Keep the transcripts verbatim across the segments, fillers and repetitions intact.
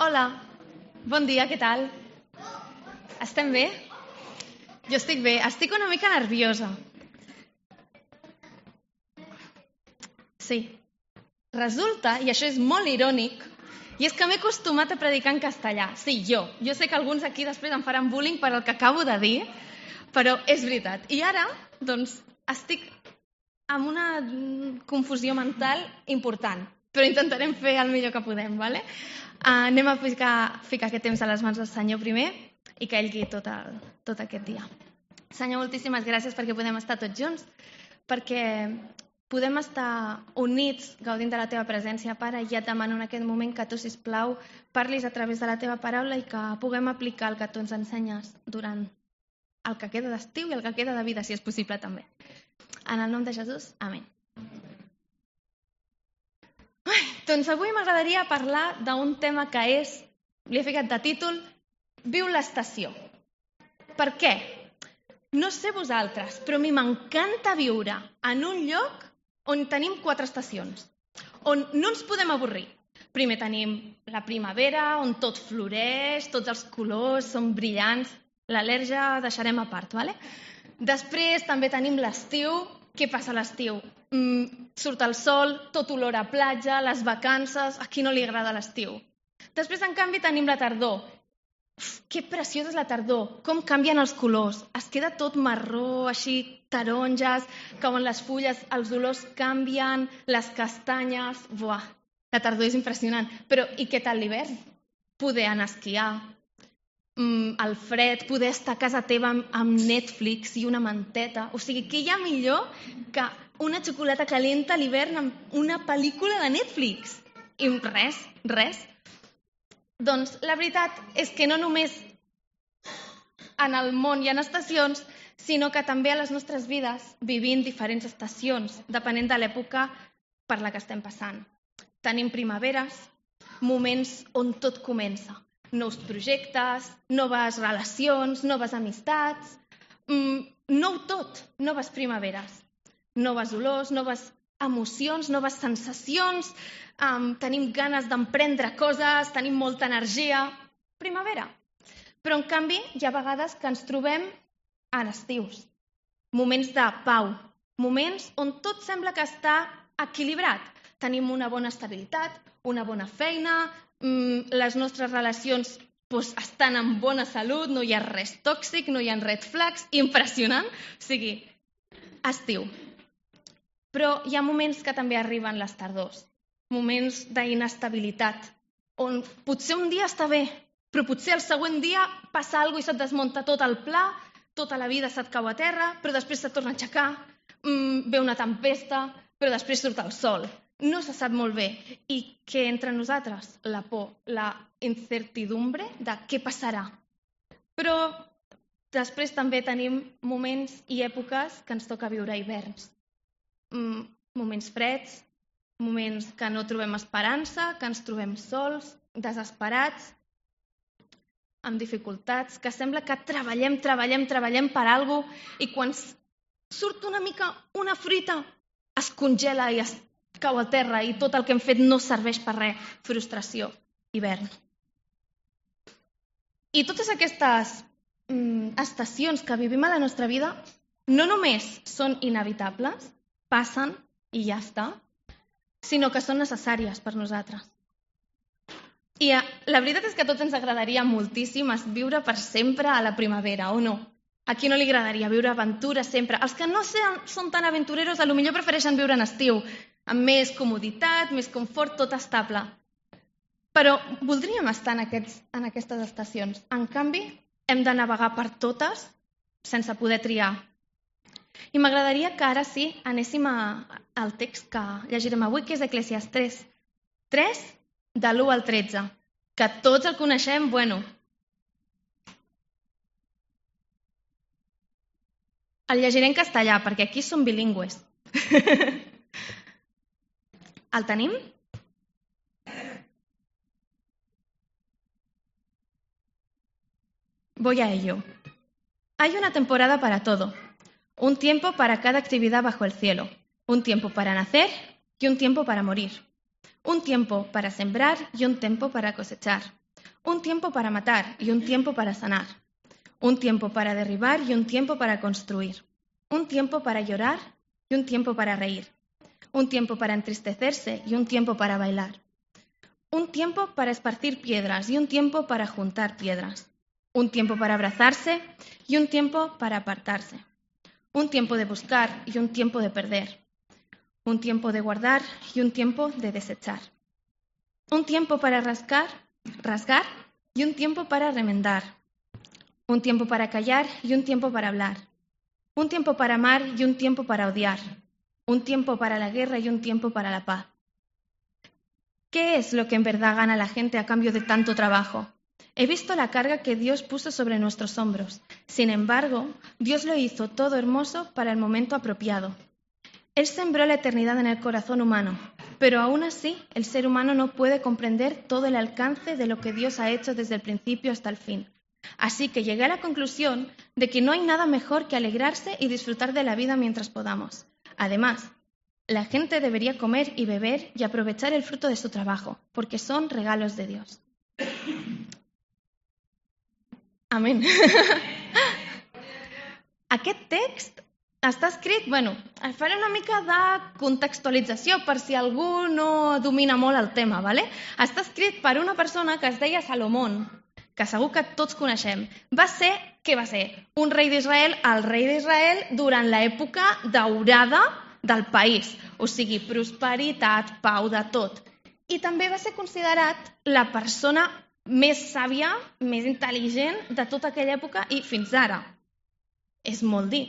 Hola, bon dia, què tal? Estem bé? Jo estic bé, estic una mica nerviosa. Sí, resulta, i això és molt irònic, i és que m'he acostumat a predicar en castellà. Sí, jo. Jo sé que alguns aquí després em faran bullying per el que acabo de dir, però és veritat. I ara, doncs, estic amb una confusió mental important, però intentarem fer el millor que podem, ¿vale? Uh, anem a ficar, ficar aquest temps a les mans del Senyor primer i que ell guiï tot, el, tot aquest dia. Senyor, moltíssimes gràcies perquè podem estar tots junts, perquè podem estar units gaudint de la teva presència, Pare, i ja et demano en aquest moment que tu, sisplau, parlis a través de la teva paraula i que puguem aplicar el que tu ens ensenyes durant el que queda d'estiu i el que queda de vida, si és possible també. En el nom de Jesús, amén. Ai, doncs avui m'agradaria parlar d'un tema que és, li he ficat de títol, Viu l'estació. Per què? No sé vosaltres, però a mi m'encanta viure en un lloc on tenim quatre estacions, on no ens podem avorrir. Primer tenim la primavera, on tot floreix, tots els colors són brillants, l'al·lèrgia deixarem a part, ¿vale? Després també tenim l'estiu. Què passa a l'estiu? Mm, surt el sol, tot olor a platja, les vacances, a qui no li agrada l'estiu? Després, en canvi, tenim la tardor. Uf, que preciosa és la tardor, com canvien els colors, es queda tot marró, així taronges, cauen les fulles, els olors canvien, les castanyes, buah, la tardor és impressionant. Però i què tal l'hivern? Poder anar a esquiar, mm, el fred, poder estar a casa teva amb, amb Netflix i una manteta, o sigui, què hi ha millor que una xocolata calenta a l'hivern amb una pel·lícula de Netflix? I res, res. Doncs la veritat és que no només en el món hi ha estacions, sinó que també a les nostres vides vivim diferents estacions, depenent de l'època per la que estem passant. Tenim primaveres, moments on tot comença. Nous projectes, noves relacions, noves amistats, mm, nou tot, noves primaveres, noves olors, noves emocions, noves sensacions, um, tenim ganes d'emprendre coses, tenim molta energia. Primavera. Però, en canvi, hi ha vegades que ens trobem a estius. Moments de pau. Moments on tot sembla que està equilibrat. Tenim una bona estabilitat, una bona feina, mm, les nostres relacions doncs, estan en bona salut, no hi ha res tòxic, no hi ha red flags, impressionant. O sigui, estiu. Però hi ha moments que també arriben les tardors, moments d'inestabilitat, on potser un dia està bé, però potser el següent dia passa alguna cosa i se't desmunta tot el pla, tota la vida se't cau a terra, però després se't torna a aixecar, mmm, ve una tempesta, però després surt el sol. No se sap molt bé. I què entre nosaltres? La por, la incertidumbre de què passarà. Però després també tenim moments i èpoques que ens toca viure hiverns. Mm, moments freds, moments que no trobem esperança, que ens trobem sols, desesperats, amb dificultats, que sembla que treballem, treballem, treballem per alguna cosa i quan surt una mica una fruita es congela i es cau a terra i tot el que hem fet no serveix per res. Frustració, hivern. I totes aquestes mm, estacions que vivim a la nostra vida no només són inevitables, passen i ja està, sinó que són necessàries per nosaltres. I la veritat és que a tots ens agradaria moltíssim viure per sempre a la primavera, o no? A qui no li agradaria viure aventura sempre? Els que no són tan aventureros potser prefereixen viure en estiu, amb més comoditat, més confort, tot estable. Però voldríem estar en, aquests, en aquestes estacions. En canvi, hem de navegar per totes sense poder triar. I m'agradaria que ara sí anéssim a, al text que llegirem avui, que és Eclesiastés tres, de l'u al tretze, que tots el coneixem, bueno. El llegiré en castellà, perquè aquí som bilingües. El tenim? Voy a ello. Hay una temporada para todo. Un tiempo para cada actividad bajo el cielo, un tiempo para nacer y un tiempo para morir, un tiempo para sembrar y un tiempo para cosechar, Un tiempo para matar y un tiempo para sanar. Un tiempo para derribar y un tiempo para construir. Un tiempo para llorar y un tiempo para reír. Un tiempo para entristecerse y un tiempo para bailar. Un tiempo para esparcir piedras y un tiempo para juntar piedras. Un tiempo para abrazarse y un tiempo para apartarse. Un tiempo de buscar y un tiempo de perder. Un tiempo de guardar y un tiempo de desechar. Un tiempo para rascar, rasgar y un tiempo para remendar. Un tiempo para callar y un tiempo para hablar. Un tiempo para amar y un tiempo para odiar. Un tiempo para la guerra y un tiempo para la paz. ¿Qué es lo que en verdad gana la gente a cambio de tanto trabajo? He visto la carga que Dios puso sobre nuestros hombros. Sin embargo, Dios lo hizo todo hermoso para el momento apropiado. Él sembró la eternidad en el corazón humano, pero aún así el ser humano no puede comprender todo el alcance de lo que Dios ha hecho desde el principio hasta el fin. Así que llegué a la conclusión de que no hay nada mejor que alegrarse y disfrutar de la vida mientras podamos. Además, la gente debería comer y beber y aprovechar el fruto de su trabajo, porque son regalos de Dios. Amén. Aquest text està escrit, bueno, faré una mica de contextualització per si algú no domina molt el tema, ¿vale? Està escrit per una persona que es deia Salomón, que segur que tots coneixem. Va ser, què va ser? Un rei d'Israel, el rei d'Israel durant l'època daurada del país, o sigui, prosperitat, pau, de tot. I també va ser considerat la persona més sàvia, més intel·ligent de tota aquella època i fins ara. És molt dir.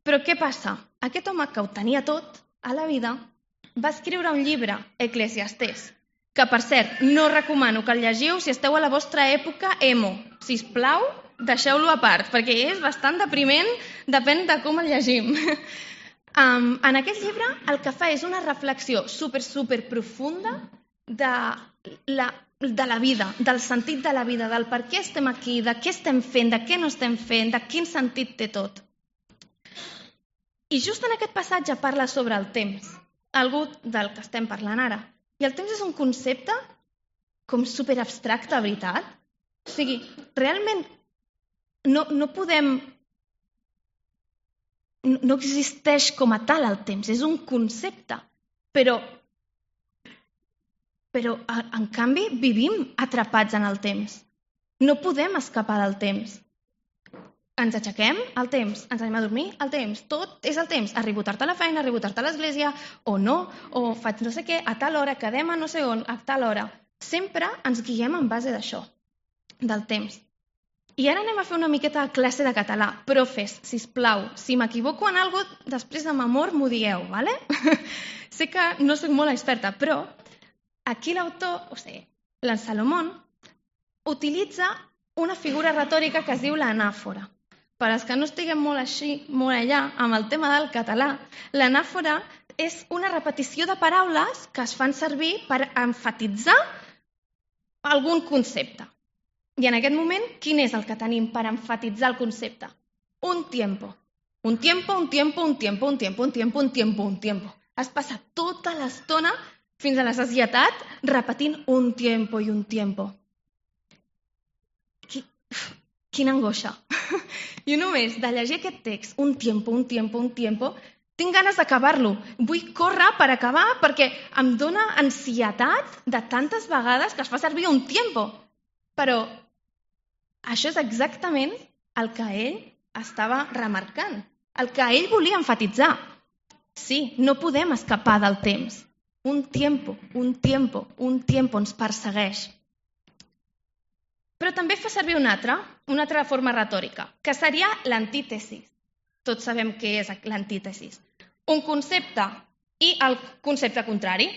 Però què passa? Aquest home que ho tenia tot a la vida va escriure un llibre, Eclesiastés, que per cert no recomano que el llegiu si esteu a la vostra època emo. Sisplau, deixeu-lo a part, perquè és bastant depriment, depèn de com el llegim. Um, en aquest llibre el que fa és una reflexió super, super profunda de la, de la vida, del sentit de la vida, del per què estem aquí, de què estem fent, de què no estem fent, de quin sentit té tot. I just en aquest passatge parla sobre el temps, algú del que estem parlant ara. I el temps és un concepte com superabstracte, veritat? O sigui, realment no, no podem... No existeix com a tal el temps, és un concepte, però, però en canvi vivim atrapats en el temps. No podem escapar del temps. Ens aixequem, el temps. Ens anem a dormir, el temps. Tot és el temps. Arribo tard a la feina, arribo tard a l'església, o no, o faig no sé què, a tal hora, quedem a no sé on, a tal hora. Sempre ens guiem en base d'això, del temps. I ara anem a fer una miqueta de classe de català. Profes, sisplau, si m'equivoco en alguna cosa, després amb amor m'ho digueu, ¿vale? Sé que no soc molt experta, però aquí l'autor, o sigui, l'en Salomón, utilitza una figura retòrica que es diu l'anàfora. Per als que no estiguem molt així, molt allà, amb el tema del català, l'anàfora és una repetició de paraules que es fan servir per emfatitzar algun concepte. I en aquest moment, quin és el que tenim per emfatitzar el concepte? Un tiempo. Un tiempo, un tiempo, un tiempo, un tiempo, un tiempo, un tiempo, un tiempo. Has passat tota l'estona fins a la sacietat repetint un tiempo i un tiempo. Quina angoixa. Jo només de llegir aquest text, un tiempo, un tiempo, un tiempo, tinc ganes d'acabar-lo. Vull córrer per acabar perquè em dóna ansietat de tantes vegades que es fa servir un tiempo. Però això és exactament el que ell estava remarcant, el que ell volia enfatitzar. Sí, no podem escapar del temps. Un tiempo, un tiempo, un tiempo ens persegueix. Però també fa servir una altra, una altra forma retòrica, que seria l'antítesis. Tots sabem què és l'antítesis. Un concepte i el concepte contrari.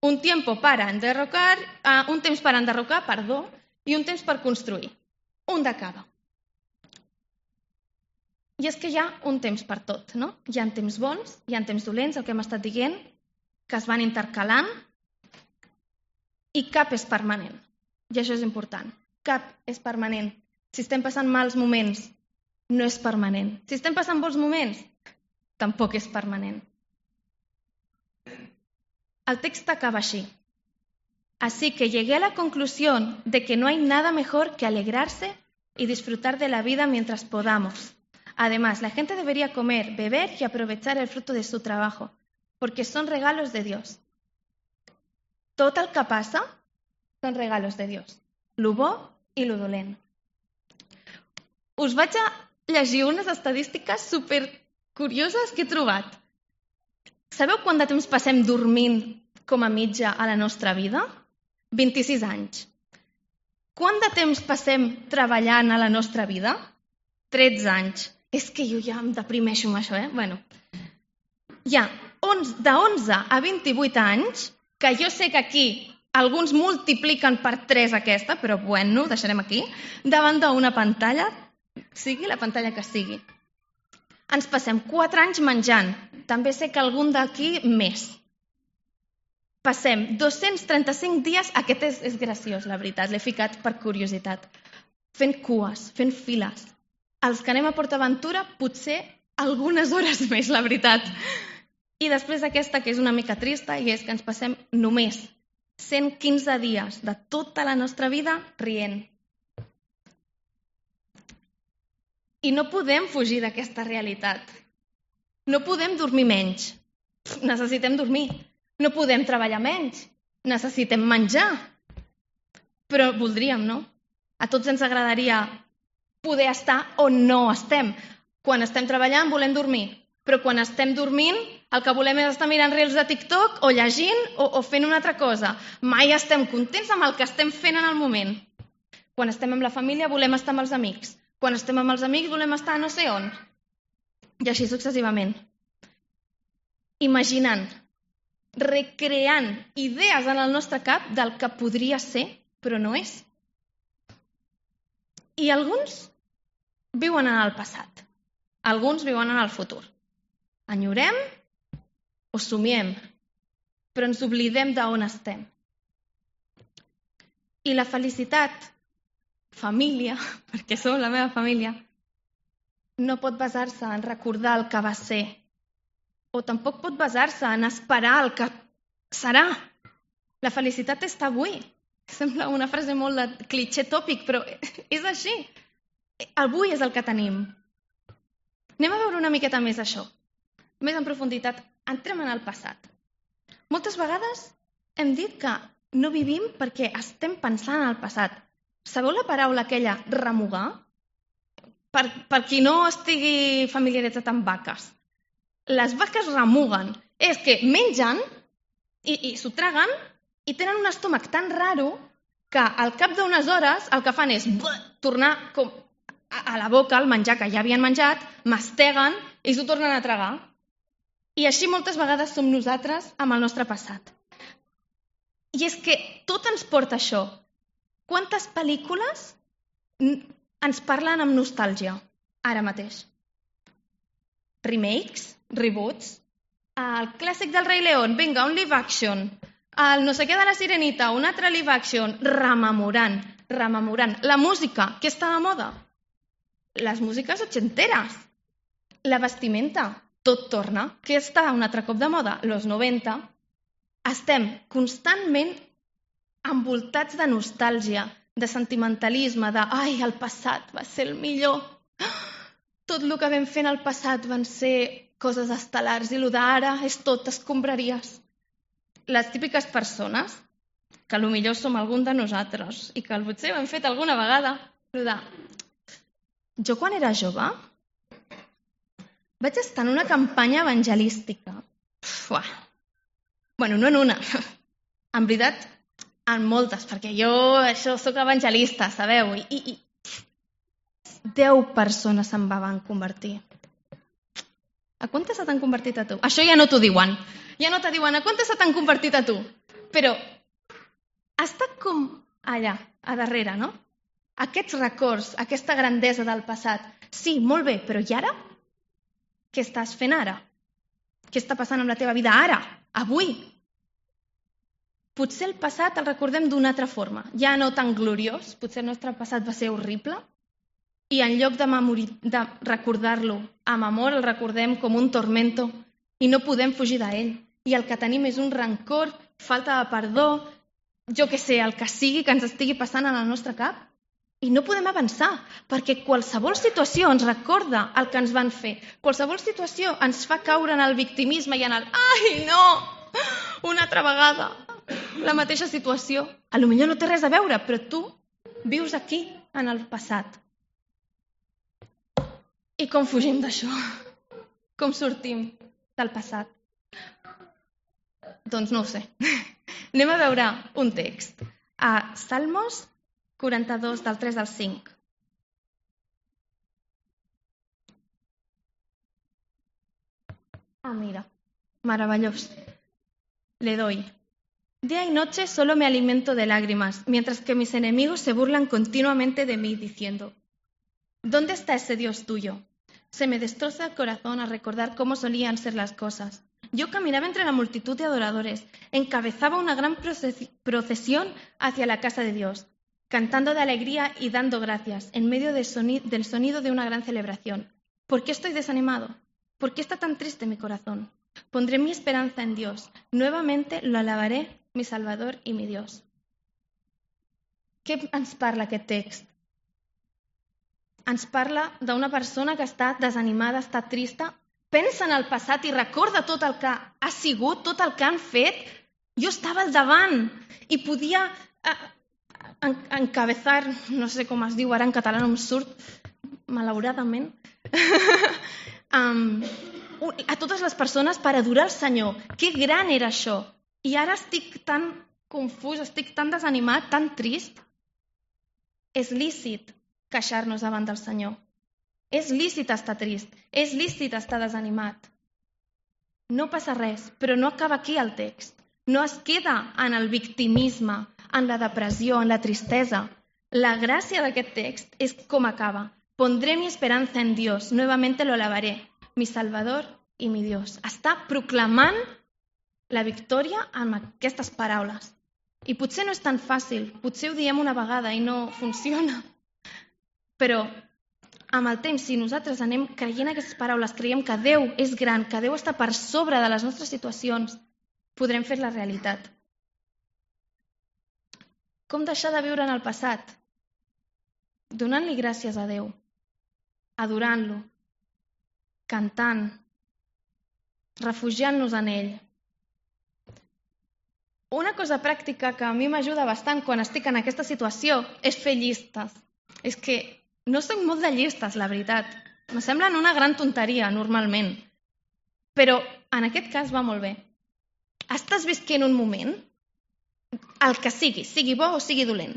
Un tiempo para enderrocar, uh, un temps per enderrocar, perdó, i un temps per construir. Un de cada. I és que hi ha un temps per tot, no? Hi ha temps bons, hi ha temps dolents, el que hem estat dient, que es van intercalant, i cap és permanent. I això és important. Cap és permanent. Si estem passant mals moments, no és permanent. Si estem passant bons moments, tampoc és permanent. El text acaba així. Así que llegué a la conclusión de que no hay nada mejor que alegrarse y disfrutar de la vida mientras podamos. Además, la gente debería comer, beber y aprovechar el fruto de su trabajo, porque son regalos de Dios. Tot el que passa són regalos de Dios, lo bo i lo dolent. Us vaig a llegir unes estadístiques supercurioses que he trobat. Sabeu quant de temps passem dormint com a mitja a la nostra vida? vint-i-sis anys. Quant de temps passem treballant a la nostra vida? tretze anys. És que jo ja em deprimeixo amb això, eh? Bueno, hi ha d'onze a vint-i-vuit anys, que jo sé que aquí alguns multipliquen per tres aquesta, però bueno, ho deixarem aquí, davant d'una pantalla, sigui la pantalla que sigui. Ens passem quatre anys menjant. També sé que algun d'aquí més. Passem dos-cents trenta-cinc dies, aquest és, és graciós, la veritat, l'he ficat per curiositat, fent cues, fent files. Els que anem a PortAventura, potser algunes hores més, la veritat. I després aquesta, que és una mica trista, i és que ens passem només cent quinze dies de tota la nostra vida rient. I no podem fugir d'aquesta realitat. No podem dormir menys. Necessitem dormir. No podem treballar menys. Necessitem menjar. Però voldríem, no? A tots ens agradaria poder estar on no estem. Quan estem treballant volem dormir. Però quan estem dormint, el que volem és estar mirant reels de TikTok o llegint o, o fent una altra cosa. Mai estem contents amb el que estem fent en el moment. Quan estem amb la família volem estar amb els amics. Quan estem amb els amics volem estar no sé on. I així successivament. Imaginant, recreant idees en el nostre cap del que podria ser, però no és. I alguns viuen en el passat. Alguns viuen en el futur. Enyorem o somiem, però ens oblidem d'on estem. I la felicitat, família, perquè som la meva família, no pot basar-se en recordar el que va ser, o tampoc pot basar-se en esperar el que serà. La felicitat està avui. Sembla una frase molt de clitxé tòpic, però és així. Avui és el que tenim. Anem a veure una miqueta més això. Més en profunditat, entrem en el passat. Moltes vegades hem dit que no vivim perquè estem pensant en el passat. Sabeu la paraula aquella, remugar? Per, per qui no estigui familiaritzat amb vaques. Les vaques remuguen. És que mengen i, i s'ho traguen i tenen un estómac tan raro que al cap d'unes hores el que fan és tornar com a la boca el menjar que ja havien menjat, masteguen i s'ho tornen a tragar. I així moltes vegades som nosaltres amb el nostre passat. I és que tot ens porta a això. Quantes pel·lícules ens parlen amb nostàlgia ara mateix? Remakes, reboots, el clàssic del Rei León, vinga, un live action, el no sé què de la Sirenita, un altre live action, rememorant, rememorant. La música, què està de moda? Les músiques ochenteres, la vestimenta, tot torna. Què està un altre cop de moda? Los noventa. Estem constantment envoltats de nostàlgia, de sentimentalisme, de ai, el passat va ser el millor. Tot el que vam fer en el passat van ser coses estel·lars i el d'ara és tot escombraries. Les típiques persones, que potser som algun de nosaltres i que potser ho hem fet alguna vegada, el de jo quan era jove vaig estar en una campanya evangelística. Uah. Bueno, no en una. En veritat, en moltes, perquè jo això soc evangelista, sabeu? I, i, i deu persones se'n van convertir. A quantes se t'han convertit a tu? Això ja no t'ho diuen. Ja no te diuen a quantes se t'han convertit a tu. Però està com allà, a darrere, no? Aquests records, aquesta grandesa del passat. Sí, molt bé, però i ara? Què estàs fent ara? Què està passant amb la teva vida ara? Avui? Potser el passat el recordem d'una altra forma, ja no tan gloriós, potser el nostre passat va ser horrible, i en lloc de, memori... de recordar-lo amb amor, el recordem com un tormento i no podem fugir d'ell. I el que tenim és un rancor, falta de perdó, jo què sé, el que sigui que ens estigui passant en el nostre cap. I no podem avançar, perquè qualsevol situació ens recorda el que ens van fer. Qualsevol situació ens fa caure en el victimisme i en el «ai, no, una altra vegada, la mateixa situació». A lo millor no té res a veure, però tu vius aquí, en el passat. I com fugim d'això? Com sortim del passat? Doncs no ho sé. Anem a veure un text. A Salmos quaranta-dos, del tres al cinc. Ah, mira, maravillós. Le doy. Día y noche solo me alimento de lágrimas, mientras que mis enemigos se burlan continuamente de mí, diciendo: ¿dónde está ese Dios tuyo? Se me destroza el corazón al recordar cómo solían ser las cosas. Yo caminaba entre la multitud de adoradores, encabezaba una gran procesión hacia la casa de Dios, cantando de alegría y dando gracias, en medio del sonido de una gran celebración. ¿Por qué estoy desanimado? ¿Por qué está tan triste mi corazón? Pondré mi esperanza en Dios. Nuevamente lo alabaré, mi Salvador y mi Dios. Què ens parla aquest text? Ens parla d'una persona que està desanimada, està trista, pensa en el passat i recorda tot el que ha sigut, tot el que han fet. Jo estava al davant i podia encabezar, no sé com es diu ara en català, no em surt, malauradament, um, a totes les persones per adorar el Senyor. Que gran era això! I ara estic tan confús, estic tan desanimat, tan trist. És lícit queixar-nos davant del Senyor. És lícit estar trist, és lícit estar desanimat. No passa res, però no acaba aquí el text. No es queda en el victimisme, en la depressió, en la tristesa. La gràcia d'aquest text és com acaba. Pondré mi esperanza en Dios, nuevamente lo alabaré, mi Salvador y mi Dios. Està proclamant la victòria amb aquestes paraules. I potser no és tan fàcil, potser ho diem una vegada i no funciona. Però amb el temps, si nosaltres anem creient aquestes paraules, creiem que Déu és gran, que Déu està per sobre de les nostres situacions, podrem fer la realitat. Com deixar de viure en el passat? Donant-li gràcies a Déu, adorant-lo, cantant, refugiant-nos en ell. Una cosa pràctica que a mi m'ajuda bastant quan estic en aquesta situació és fer llistes. És que no soc molt de llistes, la veritat. Me semblen una gran tonteria, normalment. Però en aquest cas va molt bé. Estàs visquent un moment, el que sigui, sigui bo o sigui dolent,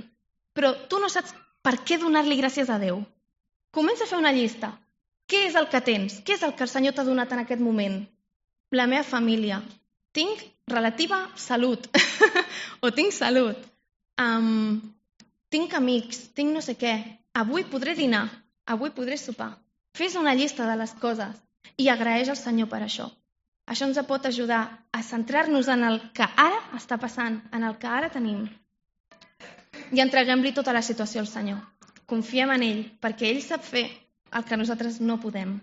però tu no saps per què donar-li gràcies a Déu. Comença a fer una llista. Què és el que tens? Què és el que el Senyor t'ha donat en aquest moment? La meva família. Tinc relativa salut. o tinc salut. Um, tinc amics, tinc no sé què. Avui podré dinar, avui podré sopar. Fes una llista de les coses i agraeix al Senyor per això. Això ens pot ajudar a centrar-nos en el que ara està passant, en el que ara tenim. I entreguem-li tota la situació al Senyor. Confiem en ell, perquè ell sap fer el que nosaltres no podem.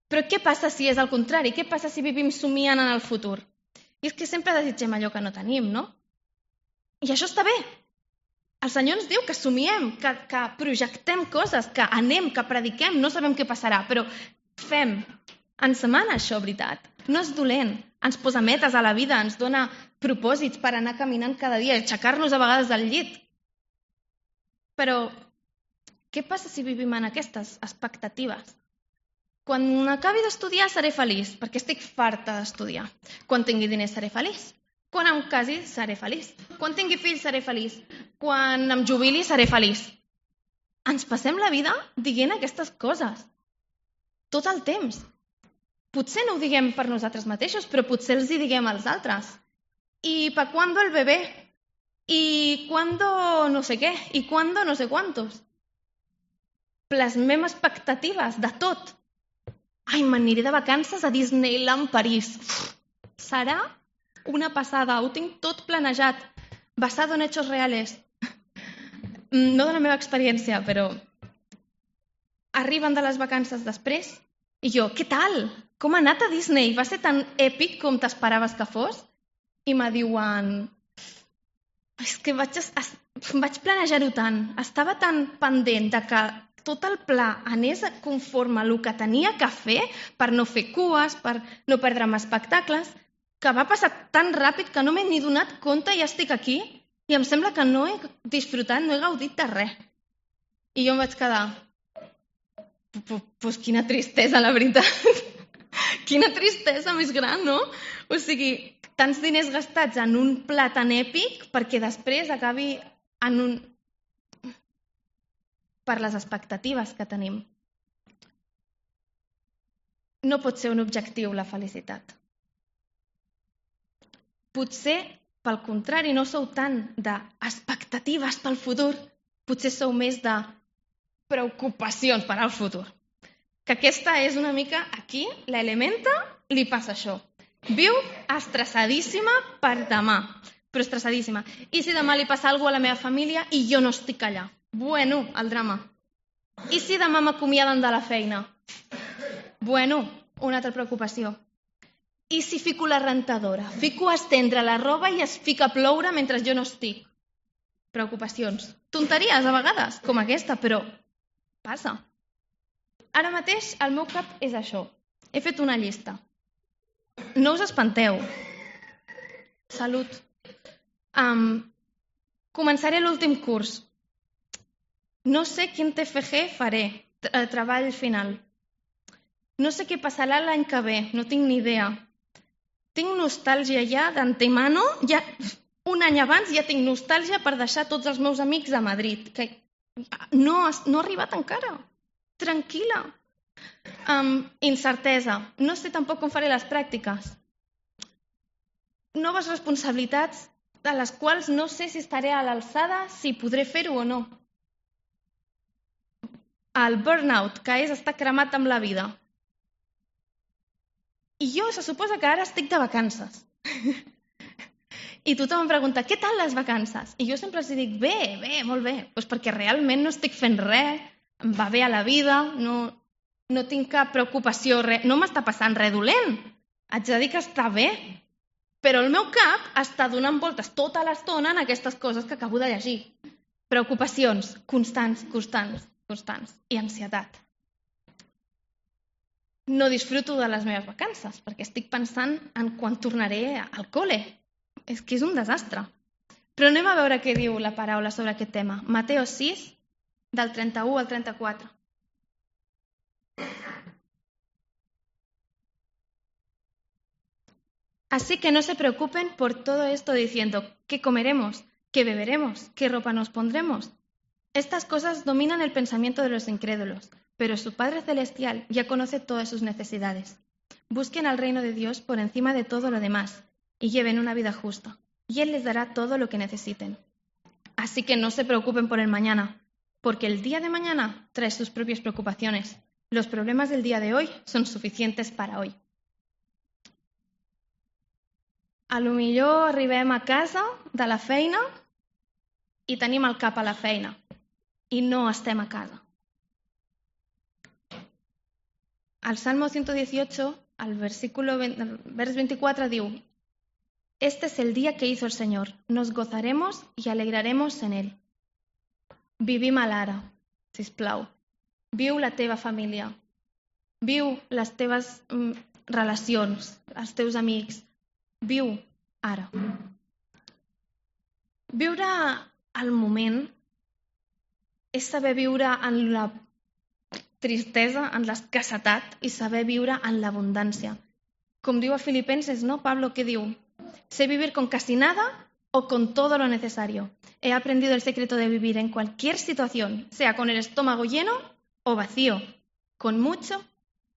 Però què passa si és al contrari? Què passa si vivim somiant en el futur? I és que sempre desitgem allò que no tenim, no? I això està bé. El Senyor ens diu que somiem, que, que projectem coses, que anem, que prediquem, no sabem què passarà, però fem. Ens mana això, veritat. No és dolent. Ens posa metes a la vida, ens dona propòsits per anar caminant cada dia, aixecar-nos a vegades del llit. Però què passa si vivim en aquestes expectatives? Quan acabi d'estudiar seré feliç, perquè estic farta d'estudiar. Quan tingui diners seré feliç. Quan em casi seré feliç. Quan tingui fills seré feliç. Quan em jubili seré feliç. Ens passem la vida dient aquestes coses. Tot el temps. Potser no ho diguem per nosaltres mateixos, però potser els hi diguem als altres. ¿Y para cuándo el bebé? ¿Y cuándo no sé què? ¿Y cuándo no sé cuántos? Plasmem expectatives de tot. Ai, m'aniré de vacances a Disneyland París. Uf, serà una passada. Ho tinc tot planejat. Basado en hechos reales. No de la meva experiència, però arriben de les vacances després i jo, què tal? Com ha anat a Disney? Va ser tan èpic com t'esperaves que fos? I me diuen, és que vaig, vaig planejar-ho tant, estava tan pendent de que tot el pla anés conforme el que tenia que fer per no fer cues, per no perdre'm espectacles, que va passar tan ràpid que no m'he ni donat compte i ja estic aquí i em sembla que no he disfrutat, no he gaudit de res. I jo em vaig quedar, pues quina tristesa, la veritat. Quina tristesa més gran, no? O sigui, tants diners gastats en un pla tan èpic perquè després acabi en un... per les expectatives que tenim. No pot ser un objectiu la felicitat. Potser, pel contrari, no sou tant d'expectatives pel futur, potser sou més de preocupacions per al futur. Que aquesta és una mica aquí, l'Elementa li passa això. Viu estressadíssima per demà, però estressadíssima. I si demà li passa alguna cosa a la meva família i jo no estic allà? Bueno, el drama. I si demà m'acomiaden de la feina? Bueno, una altra preocupació. I si fico la rentadora? Fico a estendre la roba i es fica a ploure mentre jo no estic? Preocupacions. Tonteries a vegades, com aquesta, però passa. Ara mateix el meu cap és això. He fet una llista. No us espanteu. Salut. Um, començaré l'últim curs. No sé quin T F G faré, treball final. No sé què passarà l'any que ve, no tinc ni idea. Tinc nostàlgia ja d'antemano, ja un any abans ja tinc nostàlgia per deixar tots els meus amics a Madrid, que no, no ha arribat encara. Tranquil·la. Um, incertesa. No sé tampoc com faré les pràctiques. Noves responsabilitats de les quals no sé si estaré a l'alçada, si podré fer-ho o no. El burnout, que és estar cremat amb la vida. I jo se suposa que ara estic de vacances. I tothom em pregunta, què tal les vacances? I jo sempre els dic, bé, bé, molt bé. Pues perquè realment no estic fent res, em va bé a la vida, no, no tinc cap preocupació, res, no m'està passant res dolent. Haig de dir que està bé. Però el meu cap està donant voltes tota l'estona en aquestes coses que acabo de llegir. Preocupacions constants, constants, constants. I ansietat. No disfruto de les meves vacances, perquè estic pensant en quan tornaré al col·le. És que és un desastre. Però anem a veure què diu la paraula sobre aquest tema. Mateu sis, del trenta-u al trenta-quatre. Así que no se preocupen por todo esto diciendo, ¿qué comeremos? ¿Qué beberemos? ¿Qué ropa nos pondremos? Estas cosas dominan el pensamiento de los incrédulos, pero su Padre Celestial ya conoce todas sus necesidades. Busquen al reino de Dios por encima de todo lo demás y lleven una vida justa, y Él les dará todo lo que necesiten. Así que no se preocupen por el mañana, porque el día de mañana trae sus propias preocupaciones. Los problemas del día de hoy son suficientes para hoy. A lo millor arribem a casa de la feina i tenim el cap a la feina i no estem a casa. Al Salmo ciento dieciocho, al versículo el vers veinticuatro diu: Este es el día que hizo el Señor, nos gozaremos y alegraremos en Él. Vivim a l'ara, sisplau. Viu la teva família. Viu les teves mm, relacions, els teus amics. Viu ara. Viure al moment és saber viure en la tristesa, en l'escassetat i saber viure en l'abundància. Com diu a Filipenses, ¿no? Pablo, què diu? Sé vivir con casi nada o con todo lo necesario. He aprendido el secreto de vivir en cualquier situación, sea con el estómago lleno o vacío, con mucho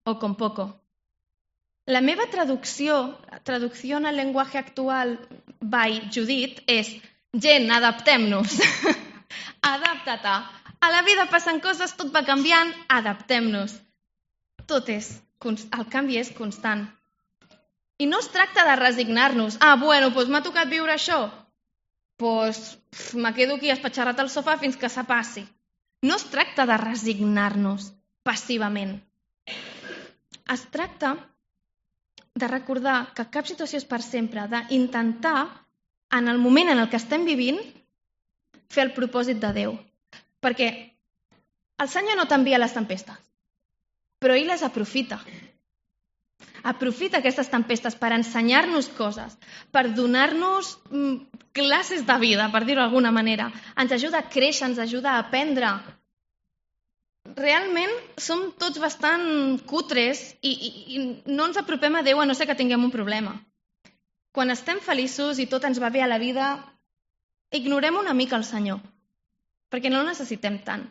o con poco. La meva traducció, traducció en el llenguatge actual by Judit és gent, adaptem-nos. Adapta-te. A la vida passen coses, tot va canviant, adaptem-nos. Tot és, el canvi és constant. I no es tracta de resignar-nos. Ah, bueno, doncs m'ha tocat viure això. Doncs me quedo aquí espatxarrat al sofà fins que se passi. No es tracta de resignar-nos passivament. Es tracta de recordar que cap situació és per sempre, d'intentar en el moment en el que estem vivint, fer el propòsit de Déu. Perquè el Senyor no t'envia les tempestes, però ell les aprofita. Aprofita aquestes tempestes per ensenyar-nos coses, per donar-nos classes de vida, per dir-ho d'alguna manera. Ens ajuda a créixer, ens ajuda a aprendre. Realment som tots bastant cutres i, i, i no ens apropem a Déu a no ser que tinguem un problema. Quan estem feliços i tot ens va bé a la vida, ignorem una mica el Senyor, perquè no el necessitem tant.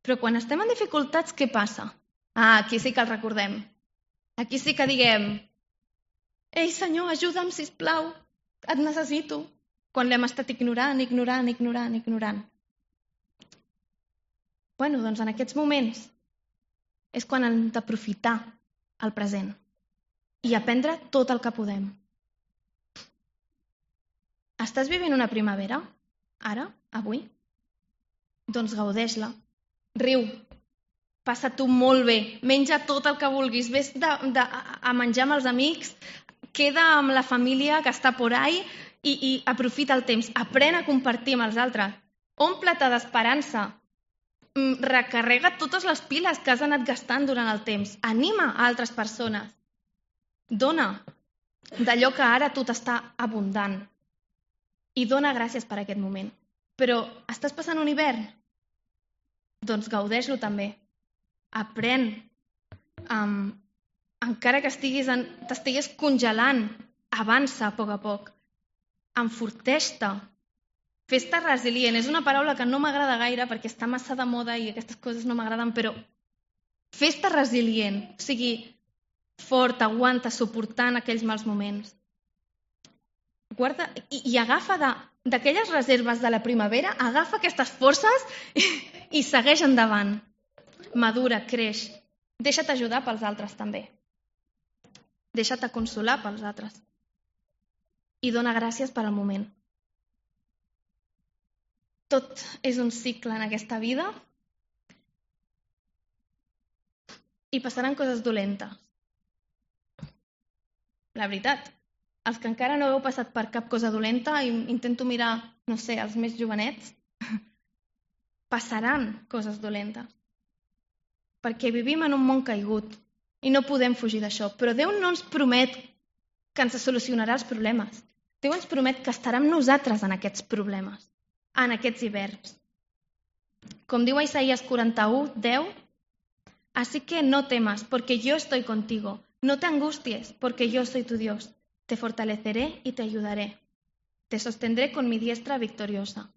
Però quan estem en dificultats, què passa? Ah, aquí sí que el recordem. Aquí sí que diguem: ei, Senyor, ajuda'm, sisplau, et necessito. Quan l'hem estat ignorant, ignorant, ignorant, ignorant. Bueno, doncs en aquests moments és quan hem d'aprofitar el present i aprendre tot el que podem. Estàs vivint una primavera? Ara? Avui? Doncs gaudeix-la. Riu. Passa-t'ho molt bé. Menja tot el que vulguis. Ves de, de, a menjar amb els amics. Queda amb la família que està por ahí i, i aprofita el temps. Aprèn a compartir amb els altres. Omple-te d'esperança. Recarrega totes les piles que has anat gastant durant el temps. Anima a altres persones. Dona d'allò que ara tu t'està abundant. I dona gràcies per aquest moment. Però estàs passant un hivern? Doncs gaudeix-lo també. Aprèn. Um, encara que estiguis en, t'estiguis congelant, avança a poc a poc. Enforteix-te. Fes-te resilient. És una paraula que no m'agrada gaire perquè està massa de moda i aquestes coses no m'agraden, però fes-te resilient. O sigui, fort, aguanta, suportant aquells mals moments. Guarda, i, i agafa de, d'aquelles reserves de la primavera, agafa aquestes forces i, i segueix endavant. Madura, creix. Deixa't ajudar pels altres també. Deixa't consolar pels altres. I dona gràcies per al moment. Tot és un cicle en aquesta vida i passaran coses dolentes. La veritat. Els que encara no heu passat per cap cosa dolenta, intento mirar, no sé, els més jovenets, passaran coses dolentes. Perquè vivim en un món caigut i no podem fugir d'això. Però Déu no ens promet que ens solucionarà els problemes. Déu ens promet que estarà amb nosaltres en aquests problemes, en aquests hiverns. Com diu a Isaías quaranta-u, deu, así que no temas, porque yo estoy contigo. No te angusties, porque yo soy tu Dios. Te fortaleceré y te ayudaré. Te sostendré con mi diestra victoriosa.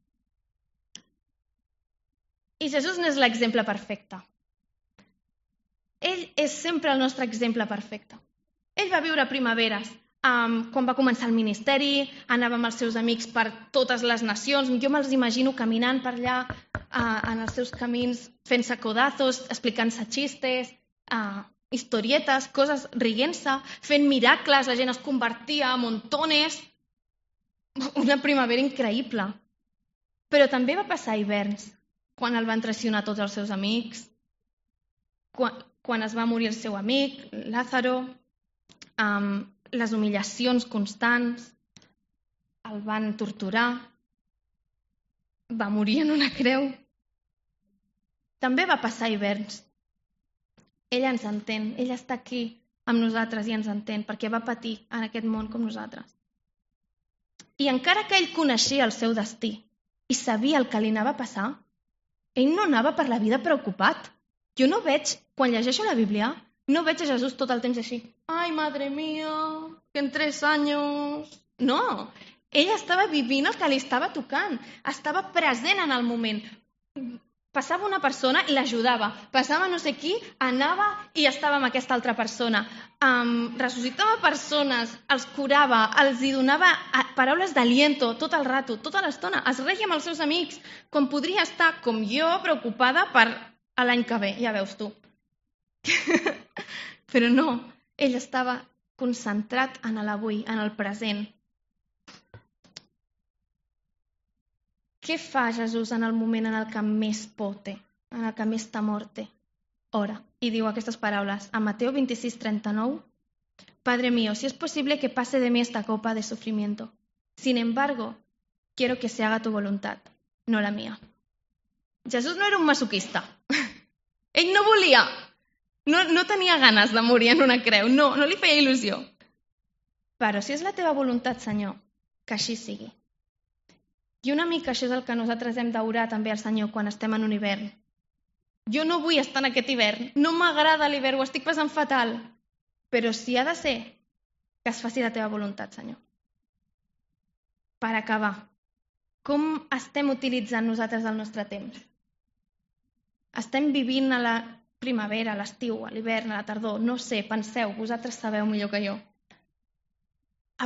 I Jesús n'és l'exemple perfecte. Ell és sempre el nostre exemple perfecte. Ell va viure primaveres. Um, quan va començar el ministeri, anava amb els seus amics per totes les nacions. Jo me'ls imagino caminant per allà uh, en els seus camins, fent-se codazos, explicant-se xistes, uh, historietes, coses, rient-se, fent miracles, la gent es convertia a montones. Una primavera increïble. Però també va passar hiverns, quan el van traicionar tots els seus amics, quan, quan es va morir el seu amic, Lázaro, um, les humillacions constants, el van torturar, va morir en una creu. També va passar hiverns. Ell ens entén, ell està aquí amb nosaltres i ens entén, perquè va patir en aquest món com nosaltres. I encara que ell coneixia el seu destí i sabia el que li anava a passar, ell no anava per la vida preocupat. Jo no veig, quan llegeixo la Bíblia, no veig a Jesús tot el temps així. Ai, madre mía, que en tres anys... No, ell estava vivint el que li estava tocant, estava present en el moment. Passava una persona i l'ajudava. Passava no sé qui, anava i estava amb aquesta altra persona. Um, ressuscitava persones, els curava, els hi donava paraules d'aliento tot el rato, tota l'estona. Es reia amb els seus amics, quan podria estar, com jo, preocupada per l'any que ve, ja veus tu. Però no, ell estava concentrat en l'avui, en el present. Què fa Jesús en el moment en el que més por té, en el que més temor té? Ora, i diu aquestes paraules, a Mateo veintiséis, treinta-nou, Padre mío, si es posible que pase de mí esta copa de sufrimiento, Sin embargo, quiero que se haga tu voluntad, no la mía. Jesús no era un masoquista. Ell no volia, no, no tenia ganes de morir en una creu, no, no li feia il·lusió. Però si és la teva voluntat, Senyor, que així sigui. I una mica això és el que nosaltres hem d'orar també al Senyor quan estem en un hivern. Jo no vull estar en aquest hivern, no m'agrada l'hivern, ho estic passant fatal, però si ha de ser, que es faci la teva voluntat, Senyor. Per acabar, com estem utilitzant nosaltres el nostre temps? Estem vivint a la primavera, a l'estiu, a l'hivern, a la tardor, no sé, penseu, vosaltres sabeu millor que jo.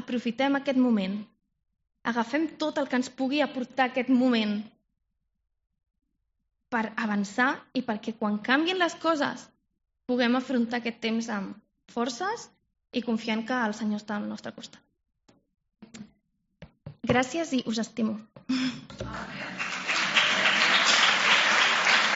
Aprofitem aquest moment, agafem tot el que ens pugui aportar aquest moment per avançar i perquè quan canvien les coses puguem afrontar aquest temps amb forces i confiant que el Senyor està al nostre costat. Gràcies i us estimo.